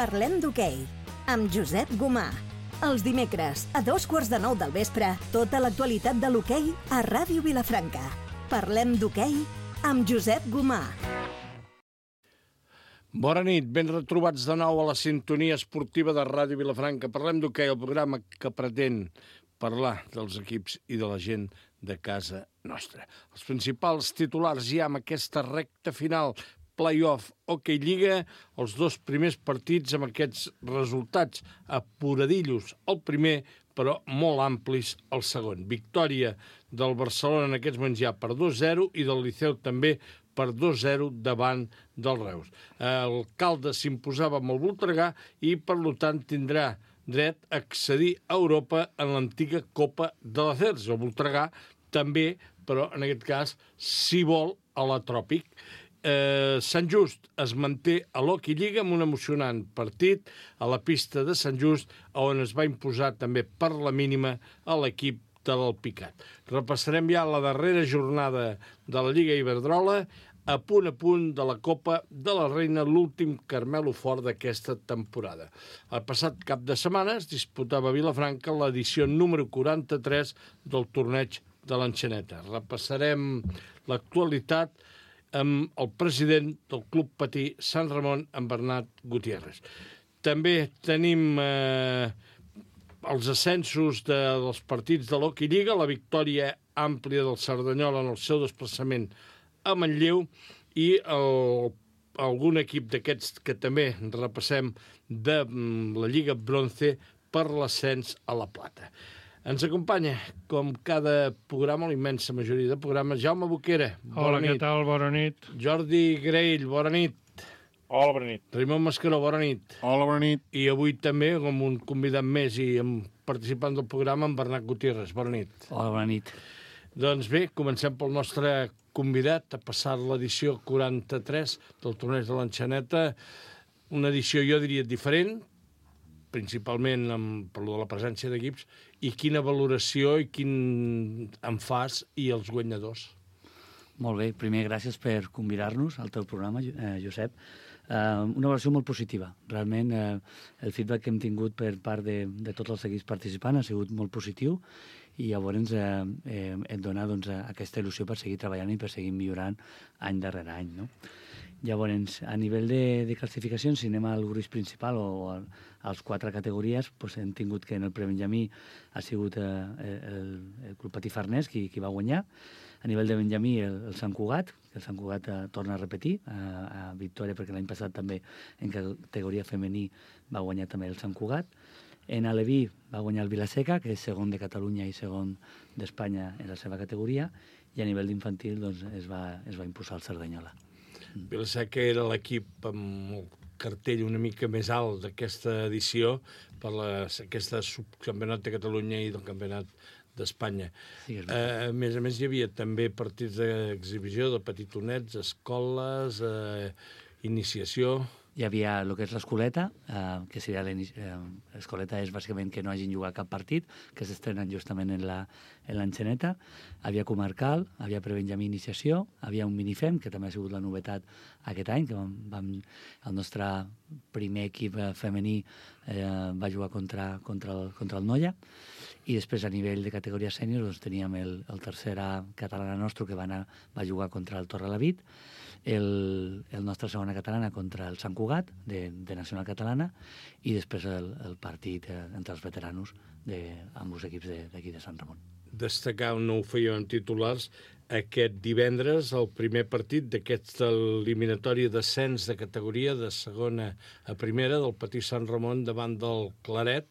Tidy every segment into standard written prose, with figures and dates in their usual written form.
Parlem d'hoquei, amb Josep Gomà. Els dimecres, a 8:45 del vespre, tota l'actualitat de l'hoquei a Ràdio Vilafranca. Parlem d'hoquei amb Josep Gomà. Bona nit, ben retrobats de nou a la sintonia esportiva de Ràdio Vilafranca. Parlem d'hoquei, el programa que pretén parlar dels equips i de la gent de casa nostra. Els principals titulars ja amb aquesta recta final, play-off, hoquei lliga, els dos primers partits amb aquests resultats apuradillos el primer, però molt amplis el segon. Victòria del Barcelona en aquests moments ja per 2-0 i del Liceu també per 2-0 davant del Reus. El Caldes s'imposava amb el Voltregà i, per tant, tindrà dret a accedir a Europa en l'antiga Copa de l'Acers. El Voltregà també, però en aquest cas, si vol, a la Tròpic. Sant Just es manté a l'Hockey Lliga amb un emocionant partit a la pista de Sant Just, on es va imposar també per la mínima a l'equip de l'Alpicat. Repassarem ja la darrera jornada de la Lliga Iberdrola, a punt de la Copa de la Reina, l'últim Carmelo fort d'aquesta temporada. El passat cap de setmana es disputava a Vilafranca l'edició número 43 del torneig de l'Enxaneta. Repassarem l'actualitat amb el president del Club Patí Sant Ramon, en Bernat Gutiérrez. També tenim els ascensos dels partits de l'Hockey Lliga, la victòria àmplia del Cerdanyola en el seu desplaçament a Manlleu i algun equip d'aquests que també repassem de la Lliga Bronze per l'ascens a la Plata. Ens acompanya, com cada programa, la immensa majoria de programes, Jaume Boquera. Hola, què tal? Bona nit. Jordi Graell, bona nit. Hola, bona nit. Raimon Mascaró, bona nit. Hola, bona nit. I avui també, com un convidat més i participant del programa, en Bernat Gutiérrez. Bona nit. Hola, bona nit. Doncs bé, comencem pel nostre convidat a passar l'edició 43 del torneig de l'Enxaneta. Una edició, jo diria, diferent, principalment per la presència d'equips, i quina valoració i quin en fas i els guanyadors. Molt bé, primer gràcies per convidar-nos al teu programa, Josep. Una valoració molt positiva. Realment el feedback que hem tingut per part de tots els equips participants ha sigut molt positiu i llavors et dona aquesta il·lusió per seguir treballant i per seguir millorant any darrere any, no? Llavors, a nivell de classificacions, si anem al gruix principal o als 4 categories, doncs hem tingut que en el prebenjamí ha sigut el Club Patí Farners qui va guanyar. A nivell de benjamí, el Sant Cugat, que el Sant Cugat torna a repetir, a victòria, perquè l'any passat també en categoria femení va guanyar també el Sant Cugat. En Aleví va guanyar el Vilaseca, que és segon de Catalunya i segon d'Espanya en la seva categoria, i a nivell d'infantil doncs, es va imposar el Cerdanyola. Vilaseca era l'equip amb el cartell una mica més alt d'aquesta edició per aquesta subcampionat de Catalunya i del campionat d'Espanya. Sí, a més, hi havia també partits d'exhibició de petitonets, escoles, iniciació. Hi havia el que és l'escoleta, que seria l'escoleta és bàsicament que no hagin jugat cap partit, que s'estrenen justament en l'Enxaneta. Havia comarcal, havia prebenjamí iniciació, havia un minifem, que també ha sigut la novetat aquest any, que el nostre primer equip femení va jugar contra el Noia, i després a nivell de categoria sènior doncs, teníem el tercera catalana nostre que va jugar contra el Torrelavit, el nostre segona catalana contra el Sant Cugat, de Nacional Catalana, i després el partit entre els veteranos amb els equips d'aquí de Sant Ramon. Destacar, no ho fèiem en titulars, aquest divendres, el primer partit d'aquesta eliminatòria d'ascens de categoria de segona a primera del Patí Sant Ramon davant del Claret,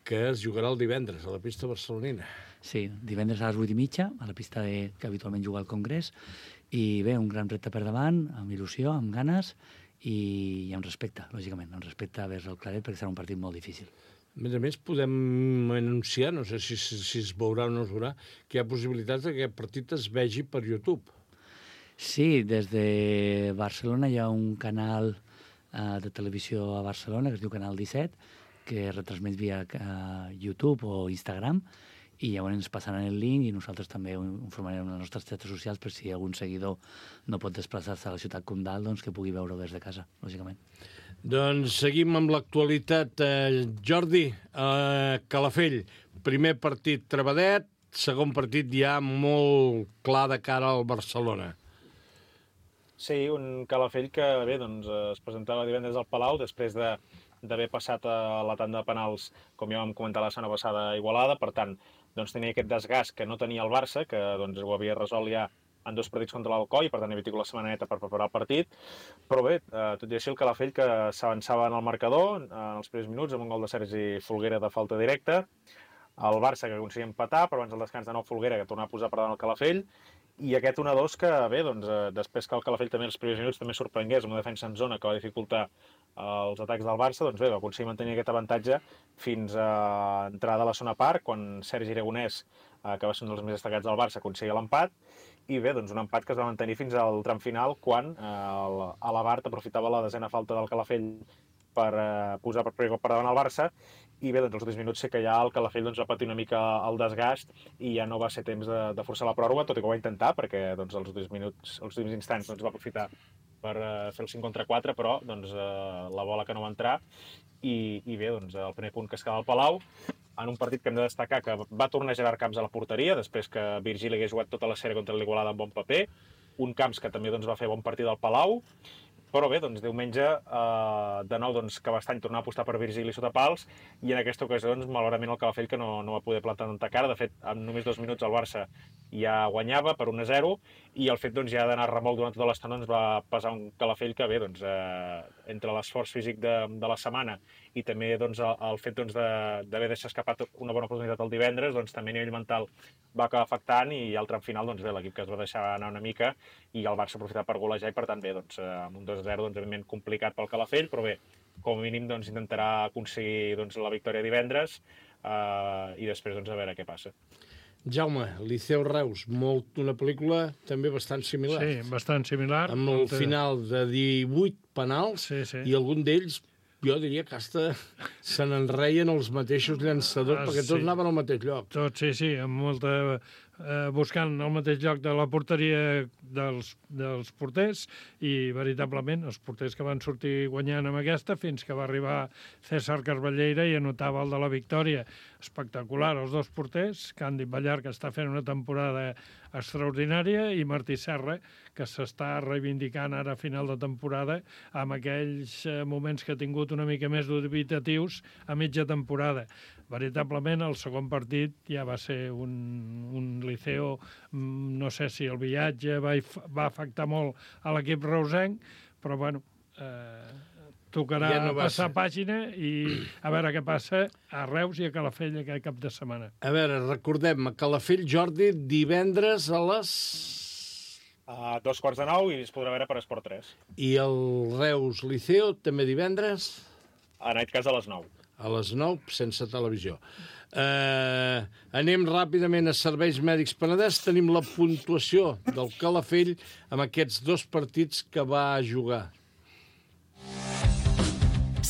que es jugarà el divendres a la pista barcelonina. Sí, divendres a les 8:30, a la pista que habitualment juga al Congrés, i bé, un gran repte per davant, amb il·lusió, amb ganes i amb respecte, lògicament, amb respecte vers el Claret, perquè serà un partit molt difícil. A més, podem anunciar, no sé si es veurà o no es veurà, que hi ha possibilitats que aquest partit es vegi per YouTube. Sí, des de Barcelona hi ha un canal de televisió a Barcelona, que es diu Canal 17, que retransmet via YouTube o Instagram, i llavors ens passaran el link i nosaltres també ho informarem en les nostres xarxes socials per si algun seguidor no pot desplaçar-se a la ciutat comtal, doncs que pugui veure des de casa, lògicament. Doncs seguim amb l'actualitat. Jordi, Calafell, primer partit trebadet, segon partit ja molt clar de cara al Barcelona. Sí, un Calafell que bé, doncs, es presentava divendres al Palau després d'haver passat a la tanda de penals, com ja vam comentar la setmana passada, a Igualada. Per tant, doncs, tenia aquest desgast que no tenia el Barça, que doncs, ho havia resolt ja en 2 partits contra l'Alcoi, per tant havia tingut la setmana neta per preparar el partit. Però bé, tot i així el Calafell que s'avançava en el marcador en els primers minuts amb un gol de Sergi Folguera de falta directa. El Barça que aconseguia empatar, però abans del descans de nou Folguera que tornava a posar per davant el Calafell. I aquest 1-2 que, bé, doncs, després que el Calafell també els primers minuts també sorprengués amb una defensa en zona que va dificultar els atacs del Barça, doncs bé, va aconseguir mantenir aquest avantatge fins a entrar de la segona part, quan Sergi Aragonès, que va ser un dels més destacats del Barça, aconseguia l'empat. I bé, doncs un empat que es va mantenir fins al tram final, quan Alabart aprofitava la desena falta del Calafell per posar per primer cop per davant el Barça. I bé, doncs els últims minuts sé que ja el Calafell doncs, va patir una mica el desgast i ja no va ser temps de forçar la pròrroga, tot i que ho va intentar, perquè doncs, els últims instants doncs, va aprofitar per fer el 5 contra 4, però doncs, la bola que no va entrar. I bé, doncs, el primer punt que es queda al Palau, en un partit que hem de destacar que va tornar Gerard Camps a la porteria, després que Virgili hagués jugat tota la sèrie contra l'Igualada amb bon paper, un Camps que també doncs, va fer bon partit al Palau. Però bé, doncs diumenge, de nou, doncs, que Cabestany tornava a apostar per Virgili sota pals, i en aquesta ocasió, doncs, malauradament, el Calafell que no va poder plantar tanta cara. De fet, en només 2 minuts el Barça ja guanyava per 1-0, i el fet doncs, ja d'anar a remolc durant tota l'estona doncs, va pesar un Calafell que, bé, doncs, entre l'esforç físic de la setmana i també doncs, el fet doncs, d'haver deixat escapat una bona oportunitat el divendres, doncs, també a nivell mental va acabar afectant, i al tram final, doncs, bé, l'equip que es va deixar anar una mica i el Barça aprofitar per golejar, i per tant, bé, doncs, amb un 2-0, doncs, evidentment complicat pel Calafell, però bé, com a mínim doncs, intentarà aconseguir doncs, la victòria divendres i després doncs, a veure què passa. Jaume, Liceu Reus, una pel·lícula també bastant similar. Sí, bastant similar. Amb el final de 18 penals, sí. I algun d'ells, jo diria que hasta se n'enreien els mateixos llançadors, perquè tots anaven al mateix lloc. Tots, sí, amb molta... buscant el mateix lloc de la porteria dels porters, i veritablement els porters que van sortir guanyant amb aquesta fins que va arribar César Carballeira i anotava el de la victòria. Espectacular, els 2 porters, Càndid Ballar, que està fent una temporada extraordinària, i Martí Serra, que s'està reivindicant ara a final de temporada amb aquells moments que ha tingut una mica més dubitatius a mitja temporada. Veritablement, el segon partit ja va ser un Liceo, no sé si el viatge va afectar molt a l'equip reusenc, però bueno, tocarà passar pàgina i a veure què passa a Reus i a Calafell aquest cap de setmana. A veure, recordem, a Calafell, Jordi, divendres a les... A 8:45 i es podrà veure per Esport 3. I el Reus Liceo també divendres? En aquest cas a les 9. A les 9, sense televisió. Anem ràpidament a Serveis Mèdics Penedès. Tenim la puntuació del Calafell amb aquests 2 partits que va jugar.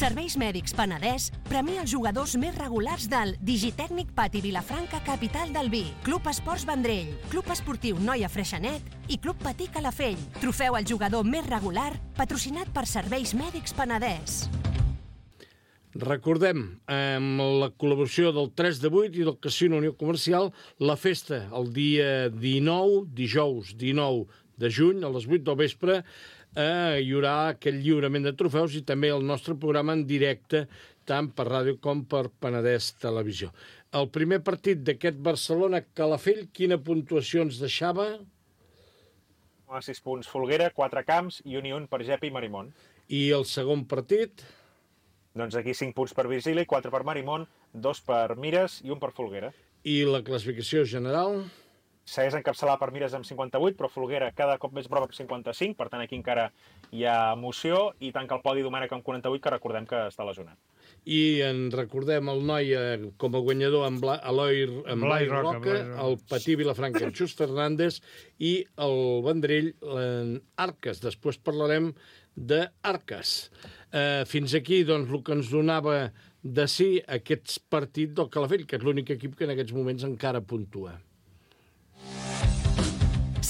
Serveis Mèdics Penedès premia els jugadors més regulars del Digitècnic Pati Vilafranca, capital del vi, Club Esports Vendrell, Club Esportiu Noia Freixenet i Club Patí Calafell. Trofeu al jugador més regular, patrocinat per Serveis Mèdics Penedès. Recordem, amb la col·laboració del 3 de 8 i del Casino Unió Comercial, la festa el dia 19, dijous 19 de juny, a les 8 del vespre, hi haurà aquest lliurament de trofeus i també el nostre programa en directe, tant per ràdio com per Penedès Televisió. El primer partit d'aquest Barcelona-Calafell, quina puntuació ens deixava? 6 punts Folguera, 4 Camps i un per Gepi i Marimón. I el segon partit? Doncs aquí 5 punts per Virgili, 4 per Marimón, 2 per Mires i 1 per Folguera. I la classificació general? Segueix encapçalat per Mires amb 58, però Folguera cada cop més prop amb 55, per tant aquí encara hi ha emoció, i tanca el podi Domènec amb 48, que recordem que està lesionat. I en recordem el Noia com a guanyador amb Blai Roca, el Patí Vilafranca en Xus Fernández i el Vendrell en Arques. Després parlarem d'Arques. Fins aquí, doncs, el que ens donava de sí aquest partit del Calafell, que és l'únic equip que en aquests moments encara puntua.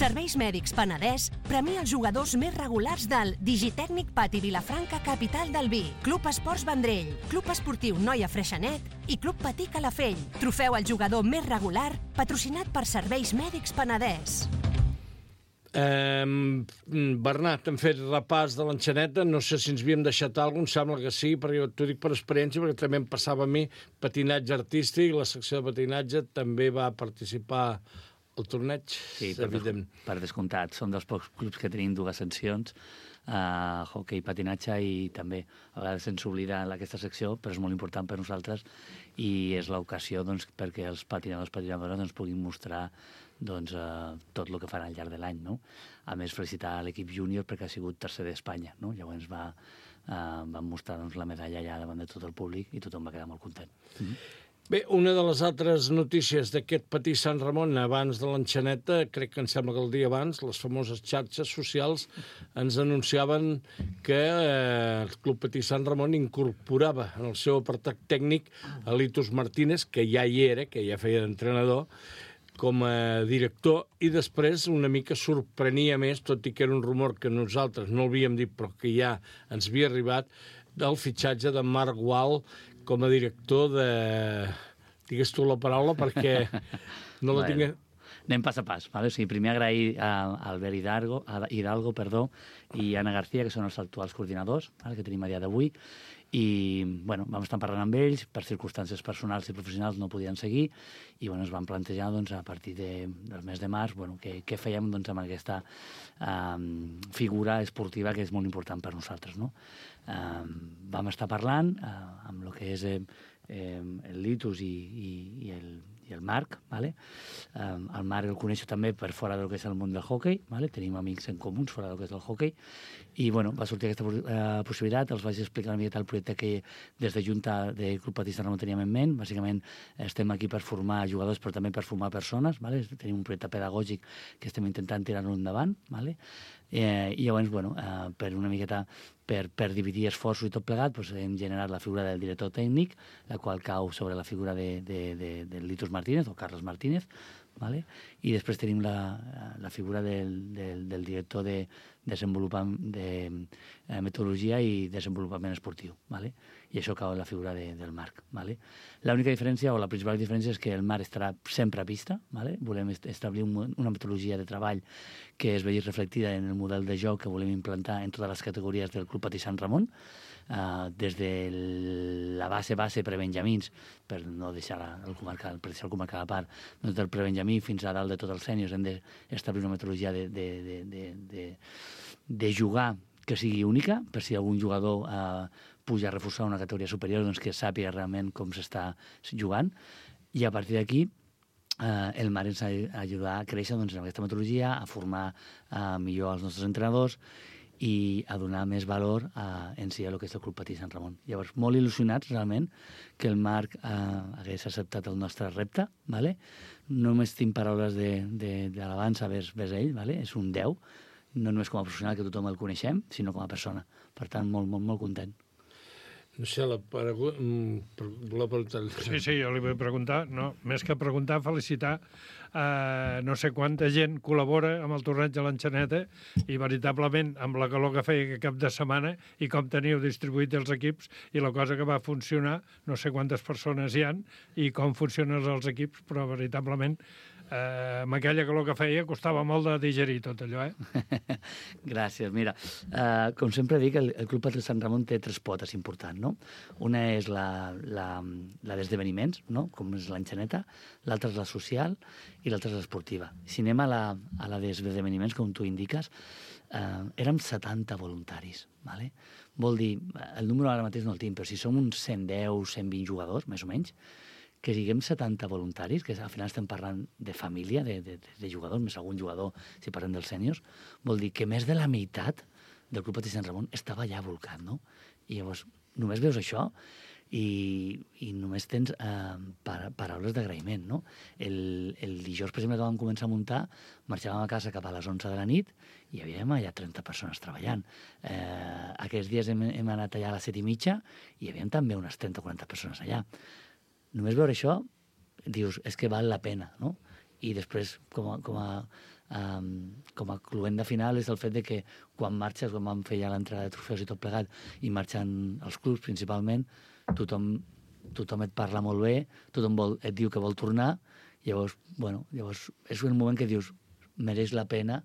Serveis Mèdics Penedès premia els jugadors més regulars del Digitècnic Pati Vilafranca, capital del vi, Club Esports Vendrell, Club Esportiu Noia Freixenet i Club Patí Calafell. Trofeu al jugador més regular, patrocinat per Serveis Mèdics Penedès. Bernat, hem fet repàs de l'enxaneta, no sé si ens havíem deixat alguna cosa, em sembla que sí, perquè t'ho dic per experiència, perquè també em passava a mi patinatge artístic, la secció de patinatge també va participar al torneig. Sí, per descomptat, som dels pocs clubs que tenim dues seccions, hoquei, patinatge, i també a vegades se'ns oblida aquesta secció, però és molt important per nosaltres i és l'ocasió perquè els patinadors i patinadores puguin mostrar tot el que fan al llarg de l'any, no? A més, felicitar l'equip júnior perquè ha sigut tercer d'Espanya, no? Llavors van mostrar la medalla allà davant de tot el públic i tothom va quedar molt content. Bé, una de les altres notícies d'aquest Patí Sant Ramon abans de l'enxaneta, crec que em sembla que el dia abans, les famoses xarxes socials ens anunciaven que el Club Patí Sant Ramon incorporava en el seu apartat tècnic a Litus Martínez, que ja hi era, que ja feia d'entrenador, com a director, i després una mica sorprenia més, tot i que era un rumor que nosaltres no l'havíem dit, però que ja ens havia arribat, del fitxatge de Marc Gual com a director de... Digues tu la paraula, perquè no la tinc... Anem pas a pas. Vale? O sigui, primer agrair a Albert Hidalgo i Anna García, que són els actuals coordinadors, que tenim a dia d'avui, i bueno, vam estar parlant amb ells, per circumstàncies personals i professionals no podien seguir, i bueno, ens vam plantejar a partir del mes de març què fèiem amb aquesta figura esportiva que és molt important per nosaltres. No? Vam estar parlant amb el que és el Litus i el Marc, ¿vale? El Marc el coneixo també per fora del que és el món del hoquei, ¿vale? Tenim amics en comuns fora del que és el hoquei, i bueno, va sortir aquesta possibilitat, els vaig explicar una miqueta el projecte que des de Junta de Club Patí Sant Ramon teníem en ment. Bàsicament estem aquí per formar jugadors, però també per formar persones, ¿vale? Tenim un projecte pedagògic que estem intentant tirar-lo endavant, ¿vale? I llavors, bueno, per una miqueta per dividir esforços i tot plegat, hem generat la figura del director tècnic, la qual cau sobre la figura de Litus Martínez o Carles Martínez, ¿vale? I després tenim la figura del director de metodologia i desenvolupament esportiu, ¿vale? I això cau en la figura del Marc, ¿vale? L'única diferència, o la principal diferència, és que el Marc estarà sempre a pista, ¿vale? Volem establir una metodologia de treball que es vegi reflectida en el model de joc que volem implantar en totes les categories del Club Patí Sant Ramon, des de la base prebenjamins, per no deixar el comarcal a part, doncs del prebenjamí fins a dalt de tots els sèniors hem d'establir una metodologia de jugar que sigui única, per si algun jugador puja a reforçar una categoria superior, doncs que sàpiga realment com s'està jugant, i a partir d'aquí el Marc ens ha d'ajudar a créixer en aquesta metodologia, a formar millor els nostres entrenadors i a donar més valor en si a el que és el Club Patí Sant Ramon. Llavors, molt il·lusionats realment que el Marc hagués acceptat el nostre repte, ¿vale? Només tinc paraules d'alabança vers ell, ¿vale? És un 10, no només com a professional, que tothom el coneixem, sinó com a persona. Per tant, molt, molt, molt content. No sé, la pregunta... Sí, jo li vull preguntar, no, més que preguntar, felicitar no sé quanta gent col·labora amb el torneig de l'enxaneta i veritablement amb la calor que feia aquest cap de setmana i com teniu distribuït els equips i la cosa que va funcionar, no sé quantes persones hi han i com funcionen els equips, però veritablement amb aquella calor que feia costava molt de digerir tot allò, Gràcies. Mira, com sempre dic, el Club Patí Sant Ramon té 3 potes importants, no? Una és la d'esdeveniments, no? Com és l'enxaneta, l'altra és la social i l'altra és l'esportiva. Si anem a la d'esdeveniments, com tu indiques, érem 70 voluntaris, ¿vale? Vol dir, el número ara mateix no el tinc, però si som uns 110, 120 jugadors, més o menys, que siguem 70 voluntaris, que al final estem parlant de família, de jugadors, més algun jugador, si parlem dels sèniors, vol dir que més de la meitat del Club Patí Sant Ramon estava allà volcat, no? I llavors, només veus això i només tens paraules d'agraïment, no? El dijous, per exemple, que vam començar a muntar, marxàvem a casa cap a les 11 de la nit i hi havia allà 30 persones treballant. Aquests dies hem anat allà a les 7:30 i hi havia també unes 30 o 40 persones allà. Només veure això, dius, és que val la pena, no? I després, com a com a cluent de final és el fet de que quan marxes, quan vam fer ja l'entrada de trofeus i tot plegat, i marxen els clubs principalment, tothom et parla molt bé, tothom et diu que vol tornar, llavors és un moment que dius, mereix la pena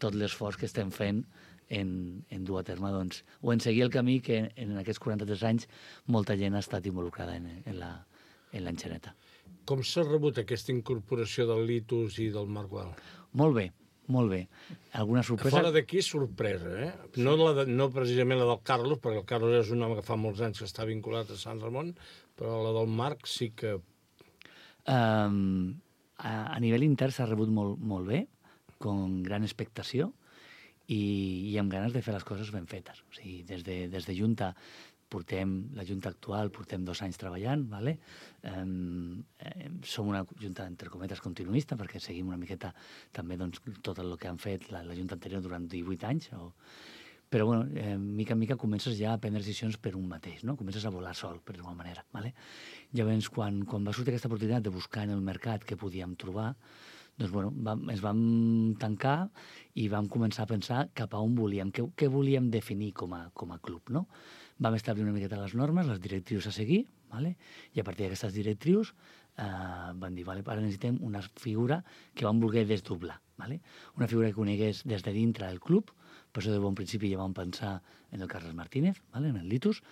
tot l'esforç que estem fent en dur a terme, doncs, o en seguir el camí que en aquests 43 anys molta gent ha estat involucrada en l'enxaneta. Com s'ha rebut aquesta incorporació del Litus i del Margual? Molt bé, molt bé. Alguna sorpresa? Fora d'aquí, sorpresa, eh? No precisament la del Carlos, perquè el Carlos és un home que fa molts anys que està vinculat a Sant Ramon, però la del Marc sí que... A nivell intern s'ha rebut molt bé, amb gran expectació i amb ganes de fer les coses ben fetes. O sigui, des de Junta la Junta actual portem 2 anys treballant, ¿vale? Som una Junta, entre cometes, continuista, perquè seguim una miqueta també doncs, tot el que han fet la Junta anterior durant 18 anys. Però, bueno, mica en mica comences ja a prendre decisions per un mateix, no? Comences a volar sol, per d'alguna manera, ¿vale? Llavors, quan va sortir aquesta oportunitat de buscar en el mercat què podíem trobar, doncs, bueno, ens vam tancar i vam començar a pensar cap a on volíem, què volíem definir com a club, no? Vam establir una miqueta les normes, les directrius a seguir, ¿vale? I a partir d'aquestes directrius vam dir, vale, ara necessitem una figura que vam voler desdoblar, ¿vale? Una figura que conegués des de dintre del club. Per això de bon principi ja vam pensar en el Carles Martínez, ¿vale? En el Litus.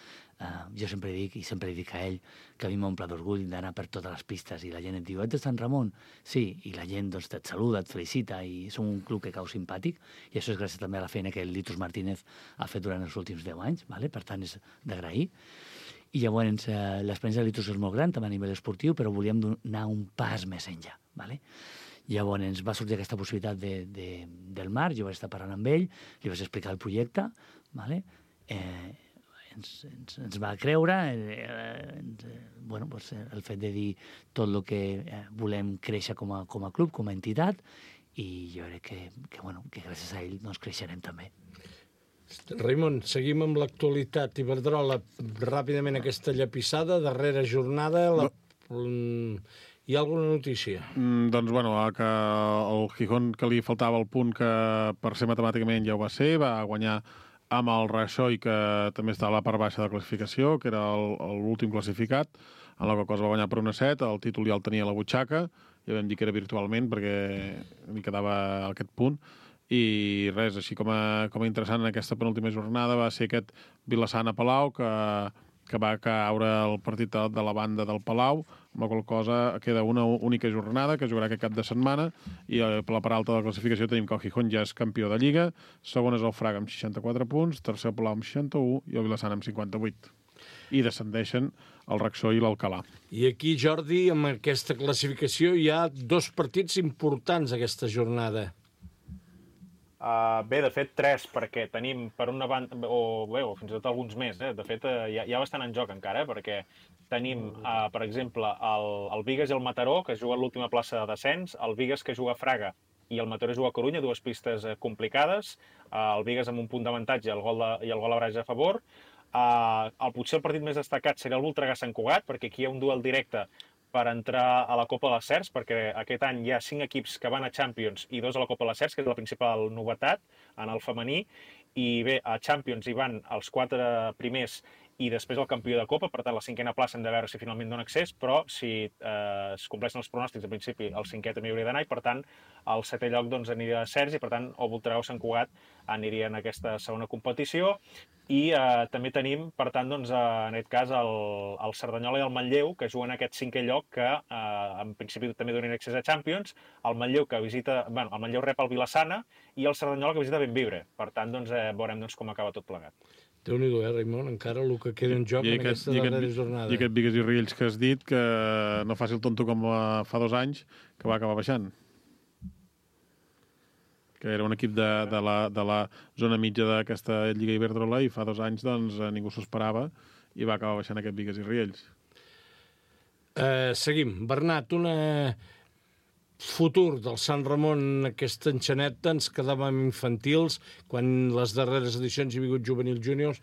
Jo sempre dic a ell que a mi m'omple d'orgull d'anar per totes les pistes i la gent et diu, ets de Sant Ramon? Sí, i la gent doncs, et saluda, et felicita i som un club que cau simpàtic i això és gràcies també a la feina que el Litus Martínez ha fet durant els últims 10 anys, ¿vale? Per tant és d'agrair. I llavors l'experiència del Litus és molt gran, també a nivell esportiu, però volíem anar un pas més enllà, ¿vale? Llavors va sortir aquesta possibilitat del Marc, jo vaig estar parlant amb ell, li vaig explicar el projecte, ¿vale? Ens va creure, bueno, pues, el fet de dir tot el que volem créixer com a club, com a entitat, i jo crec que gràcies a ell doncs, creixerem també. Raimon, seguim amb l'actualitat. Iberdrola, ràpidament aquesta llapissada, darrera jornada... Hi ha alguna notícia? Doncs, bueno, que el Gijón, que li faltava el punt que per ser matemàticament ja ho va ser, va guanyar amb el Rajoy, que també està a la part baixa de classificació, que era l'últim classificat, en la qual cosa va guanyar per 1-7, el títol ja el tenia a la butxaca, ja vam dir que era virtualment, perquè li quedava aquest punt, i res, així com a interessant en aquesta penúltima jornada va ser aquest Vilassana-Palau, que va caure el partit de la banda del Palau, amb la qual cosa queda una única jornada que jugarà aquest cap de setmana i per la part alta de la classificació tenim que el Gijón ja és campió de Lliga, segon és el Fraga amb 64 punts, tercer el Palau amb 61 i el Vilassana amb 58. I descendeixen el Raxó i l'Alcalà. I aquí, Jordi, amb aquesta classificació hi ha 2 partits importants aquesta jornada. Bé, de fet, 3, perquè tenim per una banda, o fins i tot alguns més, de fet, hi ha bastant en joc encara, perquè tenim, per exemple, el Bigues i el Mataró, que juguen l'última plaça de descens, el Bigues que juga a Fraga i el Mataró juga a Corunya, 2 pistes complicades, el Bigues amb un punt d'avantatge i el gol a Braga a favor. Potser el partit més destacat seria el Voltregà Sant Cugat, perquè aquí hi ha un duel directe per entrar a la Copa de les Cercs, perquè aquest any hi ha 5 equips que van a Champions i 2 a la Copa de les Cercs, que és la principal novetat en el femení, i bé, a Champions hi van els 4 primers i després el campió de Copa, per tant la 5a plaça hem de veure si finalment dona accés, però si es compleixen els pronòstics, en principi el 5è també hauria d'anar, i per tant el 7è lloc doncs, aniria a Cercs, i per tant o Voltregà o Sant Cugat aniria en aquesta segona competició, i també tenim, per tant, doncs, en aquest cas el Cerdanyola i el Manlleu, que juguen aquest 5è lloc, que en principi també donen accés a Champions, el Manlleu que visita, bueno, el Manlleu rep el Vilassana i el Cerdanyola que visita Bellvibre, per tant doncs, veurem doncs, com acaba tot plegat. Déu-n'hi-do, Raimon, encara el que queda en joc en aquesta darrera jornada. I aquest Bigues i Riells que has dit, que no faci el tonto com fa 2 anys, que va acabar baixant. Que era un equip de la zona mitja d'aquesta Lliga Iberdrola i fa 2 anys doncs, ningú s'ho esperava i va acabar baixant aquest Bigues i Riells. Seguim. Bernat, futur del Sant Ramon, aquesta enxaneta, ens quedàvem infantils quan les darreres edicions hi ha vingut juvenil júniors.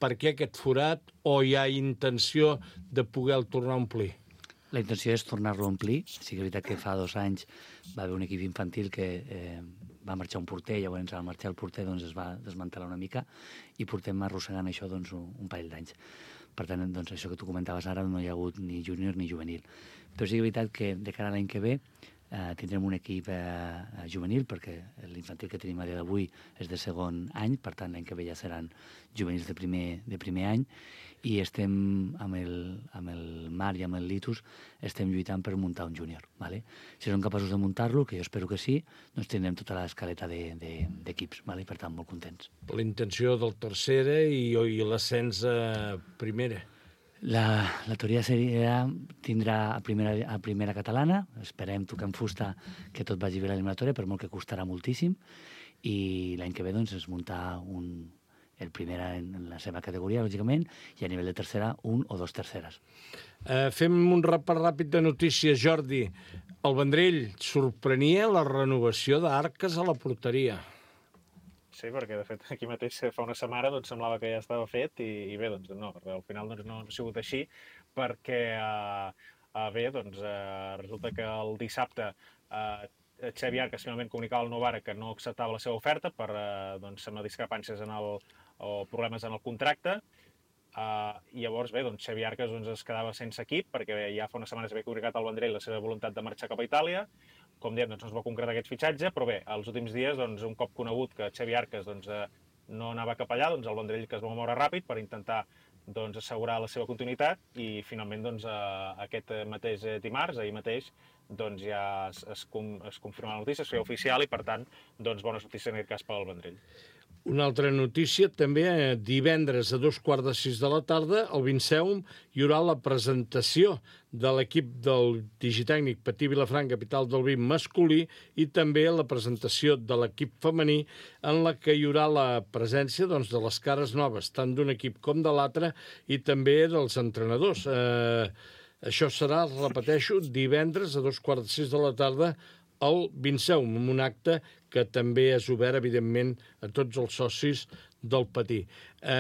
Per què aquest forat o hi ha intenció de poder-lo tornar a omplir? La intenció és tornar-lo a omplir. Sí que és veritat que fa 2 anys va haver un equip infantil que va marxar un porter, llavors al marxar el porter doncs, es va desmantelar una mica i portem arrossegant això doncs, un parell d'anys. Per tant, doncs, això que tu comentaves ara no hi ha hagut ni júnior ni juvenil. Però sí que és veritat que de cara a l'any que ve tindrem un equip juvenil, perquè l'infantil que tenim a dia d'avui és de segon any, per tant l'any que ve ja seran juvenils de primer any, i estem amb el Marc i amb el Litus estem lluitant per muntar un júnior. ¿Vale? Si som capaços de muntar-lo, que jo espero que sí, doncs tindrem tota l'escaleta d'equips, ¿vale? Per tant, molt contents. La intenció del tercera i l'ascens a primera. La teoria tindrà a primera catalana, esperem tocar en fusta que tot vagi bé a l'eliminatòria, per molt que costarà moltíssim, i l'any que ve doncs, es muntar el primera en la seva categoria, lògicament, i a nivell de tercera, un o dos terceres. Fem un repàs ràpid de notícies, Jordi. El Vendrell sorprenia la renovació d'Arques a la porteria. Sí, perquè de fet aquí mateix fa una setmana doncs, semblava que ja estava fet i bé, doncs no, al final doncs, no ha sigut així perquè bé, doncs resulta que el dissabte Xavi Arques finalment comunicava al Novara que no acceptava la seva oferta per doncs, amb discrepàncies o problemes en el contracte. I llavors bé, doncs, Xavi Arques doncs, es quedava sense equip perquè ja fa unes setmanes havia comunicat al Vendrell la seva voluntat de marxar cap a Itàlia. Com diem, doncs, no es va concretar aquest fitxatge, però bé, els últims dies, doncs, un cop conegut que Xavi Arques doncs, no anava cap allà, doncs el Vendrell que es va moure ràpid per intentar doncs, assegurar la seva continuïtat i finalment doncs, aquest mateix dimarts, ahir mateix, doncs, ja es confirma la notícia, es feia oficial i per tant doncs, bones notícies en aquest cas pel Vendrell. Una altra notícia, també divendres a 5:15 de la tarda, al Vinceum hi haurà la presentació de l'equip del Digitècnic Patí Vilafranca, capital del vi masculí, i també la presentació de l'equip femení, en la que hi haurà la presència doncs, de les cares noves, tant d'un equip com de l'altre, i també dels entrenadors. Això serà, repeteixo, divendres a 5:15 de la tarda al Vinceum, amb un acte que també és obert, evidentment, a tots els socis del Patí.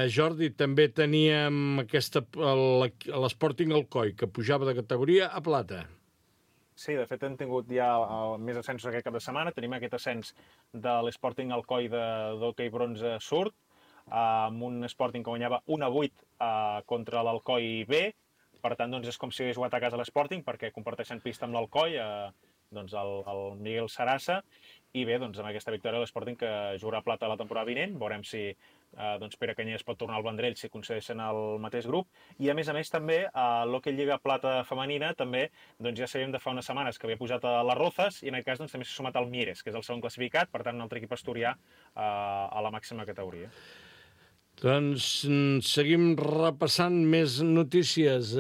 Jordi, també teníem l'Sporting Alcoi, que pujava de categoria a plata. Sí, de fet hem tingut ja més ascensos aquest cap de setmana. Tenim aquest ascens de l'Sporting Alcoi d'hoquei bronze surt, amb un Sporting que guanyava 1-8 contra l'Alcoi B. Per tant, doncs, és com si hagués jugat a casa l'Sporting, perquè comparteixen pista amb l'Alcoi, doncs el Miguel Sarassa, i bé, doncs amb aquesta victòria l'Sporting que jugarà a plata la temporada vinent, veurem si doncs Pere Canyelles pot tornar al Vendrell si concedeixen el mateix grup, i a més també l'Hockey Lliga Plata femenina també, doncs ja sabíem de fa unes setmanes que havia pujat a les Rozas, i en aquest cas doncs, també s'ha sumat al Mieres, que és el segon classificat, per tant un altre equip asturià a la màxima categoria. Doncs seguim repassant més notícies.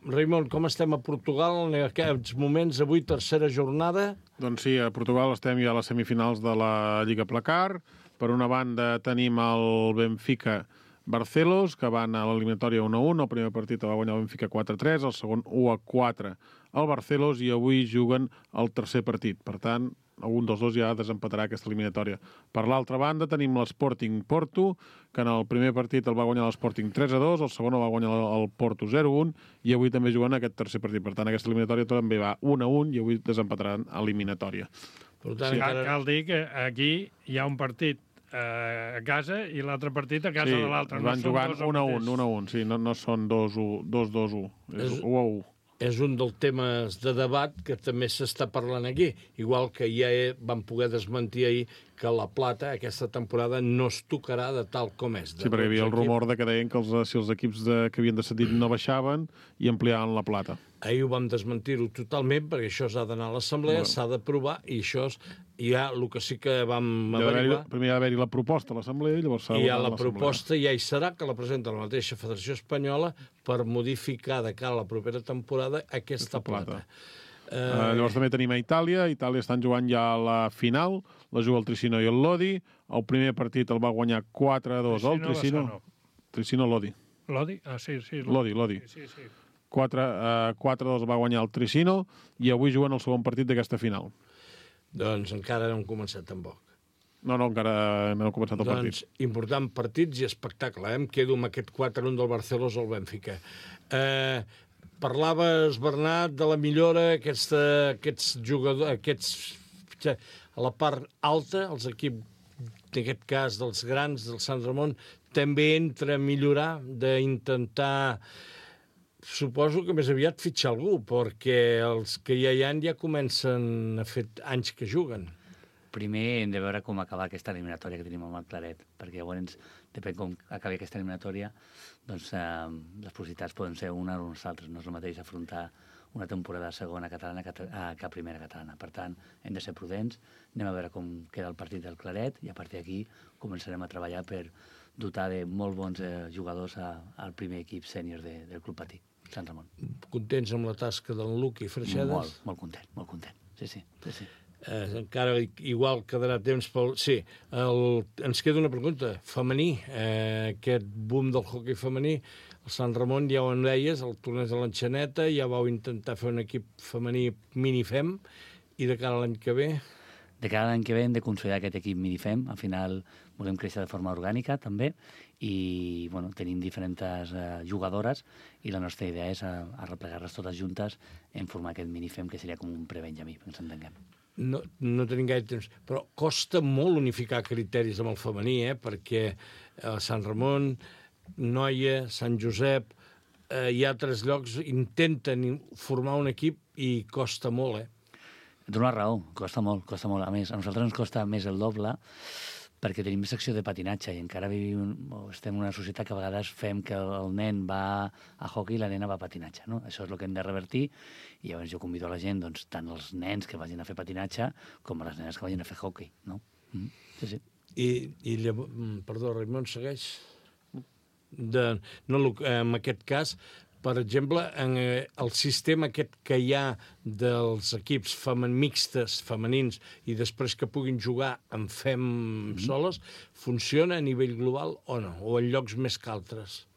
Raimon, com estem a Portugal en aquests moments? Avui, tercera jornada. Doncs sí, a Portugal estem ja a les semifinals de la Lliga Placar. Per una banda tenim el Benfica Barcelos, que van a l'eliminatòria 1-1. El primer partit el va guanyar el Benfica 4-3, el segon 1-4 al Barcelos, i avui juguen el tercer partit. Per tant, algun dels dos ja desempatarà aquesta eliminatòria. Per l'altra banda tenim l'Sporting Porto, que en el primer partit el va guanyar l'Sporting 3-2, el segon el va guanyar el Porto 0-1, i avui també juguen aquest tercer partit. Per tant, aquesta eliminatòria també va 1-1 i avui desempataran a eliminatòria. Per tant, cal dir que aquí hi ha un partit a casa i l'altre partit a casa de l'altre. Sí, van jugant 1-1, sí, no són 2-2-1, és 1-1. És un dels temes de debat que també s'està parlant aquí, igual que ja vam poder desmentir ahir que la plata aquesta temporada no es tocarà de tal com és. Sí, perquè hi havia el rumor que deien que si els equips que havien descendit no baixaven i ampliaven la plata. Ahir ho vam desmentir-ho totalment, perquè això s'ha d'anar a l'assemblea, s'ha d'aprovar, i això ja el que sí que vam averiguar... Primer hi ha d'haver-hi la proposta a l'assemblea, i llavors s'ha de votar a l'assemblea. I la proposta ja hi serà, que la presenta la mateixa Federació Espanyola per modificar de cara a la propera temporada aquesta plata. Llavors també tenim a Itàlia. A Itàlia estan jugant ja a la final, la juga el Tricino i el Lodi. El primer partit el va guanyar 4-2 el Tricino. Tricino-Lodi. Lodi? Ah, sí. Lodi. Sí. 4-2 va guanyar el Tricino i avui juguen el segon partit d'aquesta final. Doncs encara no hem començat tampoc. No, encara no hem començat el partit. Doncs important partits i espectacle. Em quedo amb aquest 4-1 del Barcelos al Benfica. Parlaves, Bernat, de la millora, aquests jugadors, aquests fitxar a la part alta, els equips, en aquest cas dels grans, del Sant Ramon, també entra a millorar, d'intentar, suposo que més aviat fitxar algú, perquè els que ja hi ha ja comencen a fer anys que juguen. Primer hem de veure com acabar aquesta eliminatòria que tenim amb el Claret, perquè llavors, depèn com acabi aquesta eliminatòria, doncs les possibilitats poden ser una o unes altres. No és el mateix afrontar una temporada segona catalana que primera catalana. Per tant, hem de ser prudents, anem a veure com queda el partit del Claret i a partir d'aquí començarem a treballar per dotar de molt bons jugadors al primer equip sènior del Club Patí, Sant Ramon. Contents amb la tasca d'en Luqui Freixedes? Molt content. Sí. Encara igual quedarà temps pel... Sí, ens queda una pregunta. Femení, aquest boom del hoquei femení, el Sant Ramon ja ho en deies, el torneig de l'Enxaneta, ja vau intentar fer un equip femení minifem, i de cara a l'any que ve... De cara a l'any que ve hem de consolidar aquest equip minifem, al final volem créixer de forma orgànica també, i bueno, tenim diferents jugadores, i la nostra idea és arreplegar-les totes juntes en formar aquest minifem, que seria com un pre-benjamí, que ens entenguem. No tenim gaire temps, però costa molt unificar criteris amb el femení, perquè Sant Ramon, Noia, Sant Josep, hi ha 3 llocs, intenten formar un equip i costa molt, Ets una raó, costa molt. A més, a nosaltres ens costa més el doble perquè tenim secció de patinatge i encara estem en una societat que a vegades fem que el nen va a hoquei i la nena va a patinatge, no? Això és el que hem de revertir i llavors jo convido a la gent, doncs, tant els nens que vagin a fer patinatge com a les nenes que vagin a fer hoquei, no? Sí. I llavors, perdó, Raimon, segueix? En aquest cas, per exemple, en el sistema aquest que hi ha dels equips mixtes, femenins, i després que puguin jugar en fem soles, funciona a nivell global o no? O en llocs més que altres?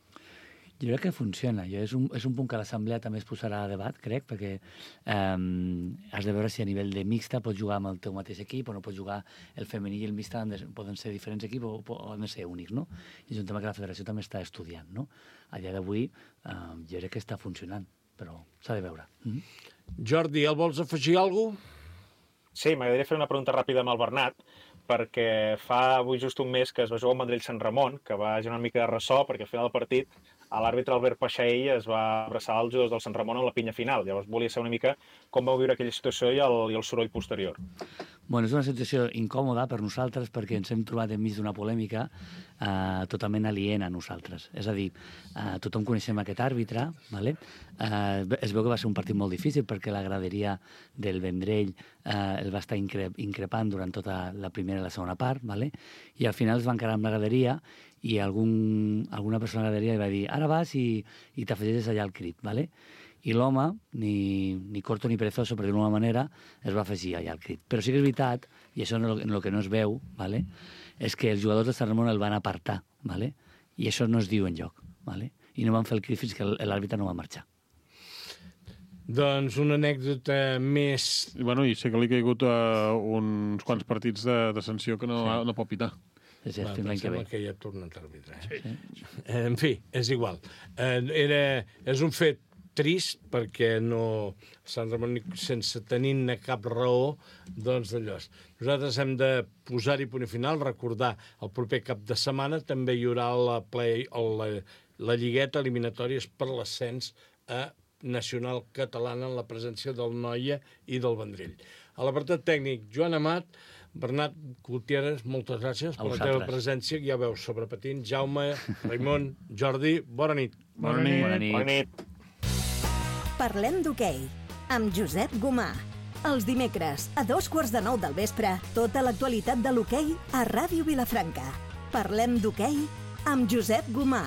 Jo crec que funciona. És un punt que l'Assemblea també es posarà a debat, crec, perquè has de veure si a nivell de mixta pots jugar amb el teu mateix equip o no pots jugar el femení i el mixta, poden ser diferents equips o han de ser únics, no? I és un tema que la federació també està estudiant, no? A dia d'avui jo crec que està funcionant, però s'ha de veure. Jordi, el vols afegir alguna cosa? Sí, m'agradaria fer una pregunta ràpida amb el Bernat, perquè fa avui just un mes que es va jugar al Vendrell-Sant Ramon, que va generar una mica de ressò, perquè al final del partit l'àrbitre Albert Paixaell es va abraçar als jugadors del Sant Ramon en la pinya final. Llavors volia saber una mica com vau viure aquella situació i el soroll posterior. Bueno, és una situació incòmoda per nosaltres perquè ens hem trobat enmig d'una polèmica totalment aliena a nosaltres. És a dir, tothom coneixem aquest àrbitre, ¿vale? Es veu que va ser un partit molt difícil perquè la graderia del Vendrell el va estar increpant durant tota la primera i la segona part, ¿vale? I al final es va encarar amb la graderia i alguna persona a la graderia li va dir ara vas i t'afegeixes allà al crit, ¿vale? I l'home, ni corto ni perezoso, per dir-ho d'una manera, es va afegir allà al crit. Però sí que és veritat, i això en el que no es veu, ¿vale? És que els jugadors de Sant Ramon el van apartar, ¿vale? I això no es diu enlloc, ¿vale? I no van fer el crit fins que l'àrbitre no va marxar. Doncs una anècdota més... I sé que li ha caigut uns quants partits de sanció que no pot pitar. Sí, l'any que ve. Que ja ha tornat a arbitrar. En fi, és igual. És un fet trist perquè Sant Ramon, sense tenir cap raó, doncs d'allò. Nosaltres hem de posar-hi punt final, recordar el proper cap de setmana també hi haurà la lligueta eliminatòries per l'ascens a nacional catalana en la presència del Noia i del Vendrell. A l'apartat tècnic, Joan Amat, Bernat Gutiérrez, moltes gràcies per la teva presència. Ja veus, sobre patins. Jaume, Raimon, Jordi, bona nit. Bona nit. Parlem d'hoquei, amb Josep Gomà. Els dimecres, a 2:15 del vespre, tota l'actualitat de l'hoquei a Ràdio Vilafranca. Parlem d'hoquei amb Josep Gomà.